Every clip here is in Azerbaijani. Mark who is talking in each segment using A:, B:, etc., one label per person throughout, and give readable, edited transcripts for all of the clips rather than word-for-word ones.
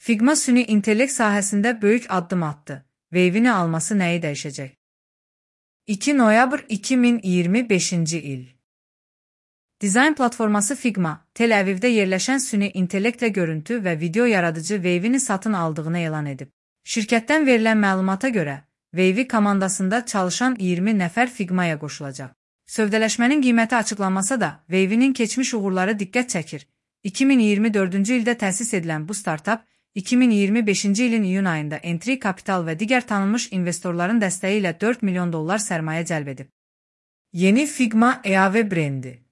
A: Figma süni intellekt sahəsində böyük addım attı. Wave'ini alması nəyi dəyişəcək? 2 noyabr 2025-ci il. Dizayn platforması Figma, Tel Avivdə yerləşən süni intellektlə görüntü və video yaradıcı Wave'ini satın aldığını elan edib. Şirkətdən verilən məlumata görə, Wave komandasında çalışan 20 nəfər Figma'ya qoşulacaq. Sövdələşmənin qiyməti açıqlanmasa da, Wave'nin keçmiş uğurları diqqət çəkir. 2024-cü ildə təsis edilən bu startap, 2025-ci ilin iyun ayında Entry Capital və digər tanınmış investorların dəstəyi ilə $4 milyon sərmayə cəlb edib. Yeni Figma EAV brendi.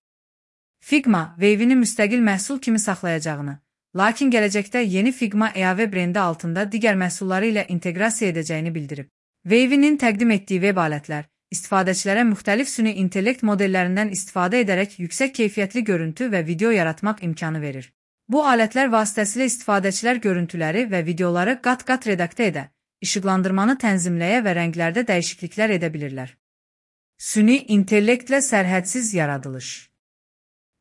A: Figma, Wave'ini müstəqil məhsul kimi saxlayacağını, lakin gələcəkdə yeni Figma EAV brendi altında digər məhsulları ilə inteqrasiya edəcəyini bildirib. Wave'nin təqdim etdiyi web alətlər, istifadəçilərə müxtəlif süni intellekt modellərindən istifadə edərək yüksək keyfiyyətli görüntü və video yaratmaq imkanı verir. Bu alətlər vasitəsilə istifadəçilər görüntüləri və videoları qat-qat redaktə edə, işıqlandırmanı tənzimləyə və rənglərdə dəyişikliklər edə bilirlər. Süni intellektlə sərhədsiz yaradılış.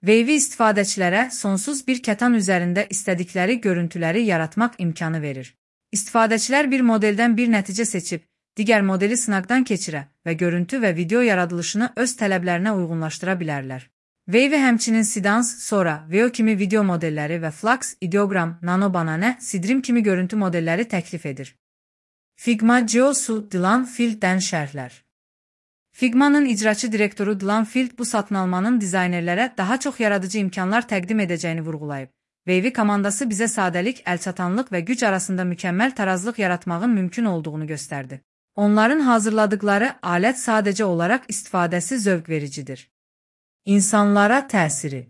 A: Wave istifadəçilərə sonsuz bir kətan üzərində istədikləri görüntüləri yaratmaq imkanı verir. İstifadəçilər bir modeldən bir nəticə seçib, digər modeli sınaqdan keçirə və görüntü və video yaradılışını öz tələblərinə uyğunlaşdıra bilərlər. Wave həmçinin Sidance, Sora, Veo kimi video modelləri və Flux, Ideogram, Nano Banana, Sidrim kimi görüntü modelləri təklif edir. Figma CEO-su Dylan Field'dən şərhlər. Figma'nın icraçı direktoru Dylan Field bu satın almanın dizaynerlərə daha çox yaradıcı imkanlar təqdim edəcəyini vurğulayıb. Wave komandası bizə sadəlik, əlçatanlıq və güc arasında mükəmməl tarazlıq yaratmağın mümkün olduğunu göstərdi. Onların hazırladıkları alət sadəcə olaraq istifadəsi zövq vericidir. İnsanlara təsiri.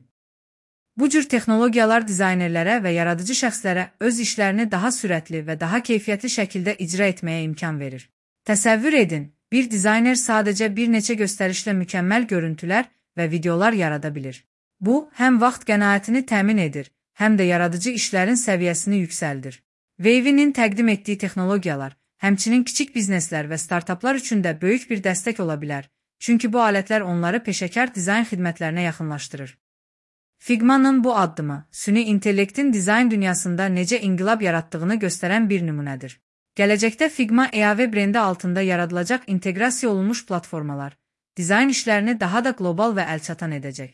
A: Bu cür texnologiyalar dizaynerlərə və yaradıcı şəxslərə öz işlərini daha sürətli və daha keyfiyyətli şəkildə icra etməyə imkan verir. Təsəvvür edin, bir dizayner sadəcə bir neçə göstərişlə mükəmməl görüntülər və videolar yarada bilir. Bu, həm vaxt qənaətini təmin edir, həm də yaradıcı işlərin səviyyəsini yüksəldir. Wave'nin təqdim etdiyi texnologiyalar, həmçinin kiçik bizneslər və startaplar üçün də böyük bir dəstək ola bilər, çünki bu alətlər onları peşəkar dizayn xidmətlərinə yaxınlaşdırır. Figma'nın bu addımı, süni intellektin dizayn dünyasında necə inqilab yaratdığını göstərən bir nümunədir. Gələcəkdə Figma EAV brendi altında yaradılacaq inteqrasiya olunmuş platformalar, dizayn işlərini daha da qlobal və əlçatan edəcək.